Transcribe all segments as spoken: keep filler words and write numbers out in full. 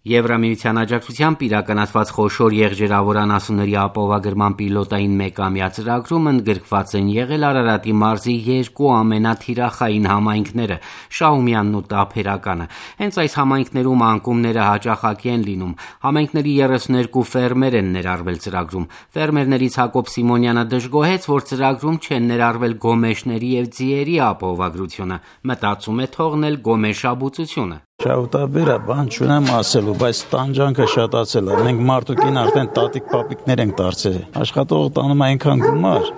Եվրամիության աջակցությամբ իրականացված խոշոր եղջերավոր անասունների ապահովագրման պիլոտային մեկամյա ծրագրում ընդգրկված են եղել Արարատի մարզի երկու ամենաթիրախային համայնքները՝ Շահումյանն ու Տափերականը։ Հենց այս համայնքներում անկումները հաճախակի են լինում։ Համայնքների երեսուներկու ֆերմեր են ներառվել ծրագրում։ Ֆերմերներից Հակոբ Սիմոնյանը դժգոհեց, որ ծրագրում չեն ներառվել գոմեշների և ձիերի ապահովագրությունը։ Մտածում է թողնել գոմեշաբուծությունը։ Շահութաբեր է, բան չունեմ ասելու, բայց տանջանքը շատացել է։ Մենք մարդուկին արդեն տատիկ-պապիկներ ենք դարձել։ Աշխատողը տանում է այնքան գումար,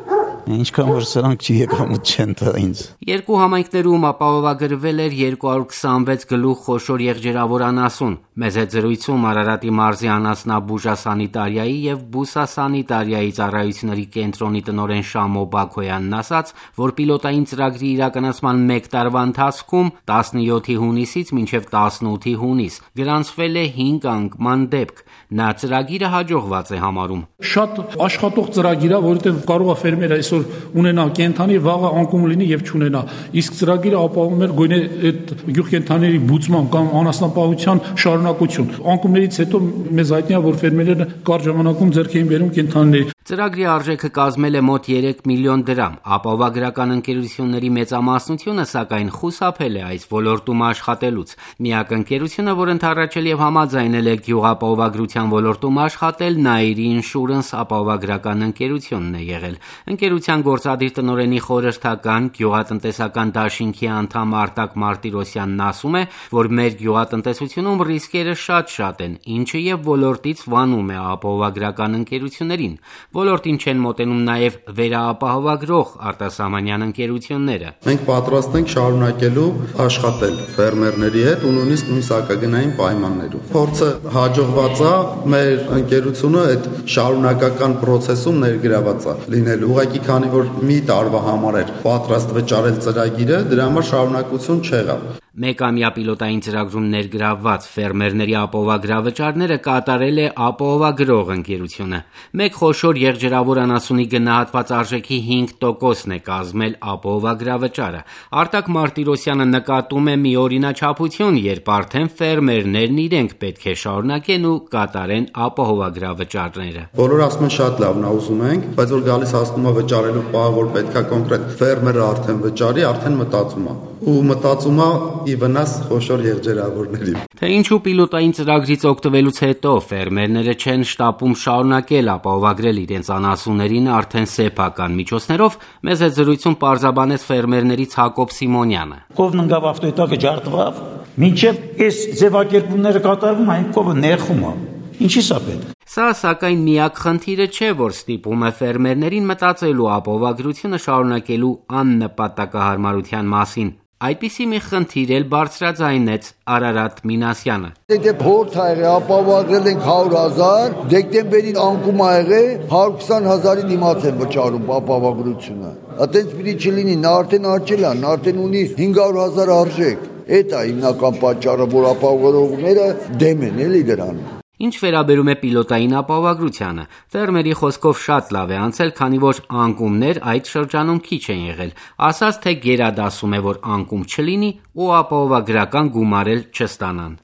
ինչքան որ սրանք չի եկամուտ չեն տա ինձ։ Երկու համայնքներում ապահովագրվել էր երկու հարյուր քսանվեց գլուխ խոշոր եղջերավոր անասուն։ Մեզ հետ զրույցում Արարատի մարզի անասնաբուժասանիտարիայի և բուսասանիտարիայի ծառայությունների կենտրոնի տնօրեն Շամո Բաքոյանն ասաց, որ պիլոտային ծրագրի իրականացման մեկ տարվա ընթացքում տասնյոթի հունիսից մինչև տասնութի հունիս գրանցվել է հինգ անկման դեպք։ Նա ծրագիրը հաջողված է համարում։ Շատ աշխատող ծրագիր է, որովհետև կարող է ֆերմերը այսօր ունենա կենդանի, վաղը անկում լինի եւ չունենա։ Իսկ ծրագիրը ապահովում է գոնե այդ գյուղկենդանիների բուծման կամ անասնապահության շարունակություն։ Անկումներից հետո մեզ հայտնի է, որ ֆերմերները կարճ ժամանակում ձեռք էին բերում կենդանիների։ Ծրագրի արժեքը կազմել է մոտ երեք միլիոն դրամ։ Ապահովագրական ընկերությունների մեծամասնությունը, սակայն, խուսափել է այս ոլորտում աշխատելուց։ Միակ ընկերությունը, որ ընդառաջել եւ համաձայնել է գյուղապահովագրության ոլորտում աշխատել, Nairi Insurance ապահովագրական ընկերությունն է եղել։ Ընկերության գործադիր տնօրենի խորհրդական գյուղատնտեսական դաշինքի անդամ Արտակ Մարտիրոսյանն ասում է, որ մեր գյուղատնտեսությունում ռիսկերը շատ-շատ են, ինչը եւ ոլորտից վանում է ապահովագրական ընկերություններին։ Ոլորտին չեն մոտենում նաև վերաապահովագրող արտասահմանյան ընկերությունները։ Մենք պատրաստ ենք շարունակելու աշխատել ֆերմերների հետ ու նույնիսկ նույն սահմագնային պայմաններում։ Փորձը հաջողված է, մեր ընկերությունը այդ շարունակական process-ում ներգրաված է լինելու։ Ուղղակի քանի որ մի տարվա համար էր պատրաստ վճարել ծրագիրը, դրա համար շարունակություն չեղավ։ Մեկամյա պիլոտային ծրագրում ներգրավված ֆերմերների ապահովագրավճարները կատարել է ապահովագրող ընկերությունը։ Մեկ խոշոր եղջերավոր անասունի գնահատված արժեքի հինգ տոկոսն է կազմել ապահովագրավճարը։ Արտակ Մարտիրոսյանը նկատում է մի օրինաչափություն, երբ արդեն ֆերմերներն իրենք պետք է շարունակեն ու կատարեն ապահովագրավճարները։ Բոլորը ասում են շատ լավն է, ուզում ենք, բայց որ գալիս հասնում է վճարելու պահը, որ պետքա կոնկրետ ֆերմերը արդեն վճարի, արդեն մտածում է։ Ու մտածում է ի վնաս խոշոր եղջերավորների։ Թե ինչու պիլոտային ծրագրից օգտվելուց հետո ֆերմերները չեն շտապում շարունակել ապահովագրել իրենց անասուններին արդեն սեփական միջոցներով, մեզ հետ զրույցում պարզաբանեց ֆերմերներից Հակոբ Սիմոնյանը։ Կովն ընկավ ավտոյտակը ջարդվավ, մինչև այս ձևակերպումները կատարվում, այն կովը ներխում է։ Ինչի՞ սա պետք։ Սա սակայն միակ խնդիրը չէ, որ ստիպում է ֆերմերներին մտածելու ապահովագրությունը շարունակելու աննպատակահարմարության մասին։ Այդպիսի մի խնդիր էլ բարձրաձայնեց Արարատ Մինասյանը։ Եթե փորձ ա եղել ապահովագրել ենք հարյուր հազար, դեկտեմբերին անկում ա եղել հարյուր քսան հազարի դիմաց են վճարում ապահովագրությունը։ Այդպես պիտի չլինի, նա արդեն աճել է, նա արդեն ունի հինգ հարյուր հազար արժեք։ Էդ է հիմնական պատճառը, որ ապահովողները դեմ են էլի դրան։ Ինչ վերաբերում է պիլոտային ապահովագրությանը, ֆերմերի խոսքով շատ լավ է անցել, քանի որ անկումներ այդ շրջանում քիչ են եղել։ Ասաց, թե գերադասում է, որ անկում չլինի ու ապահովագրական գումար էլ չստանան։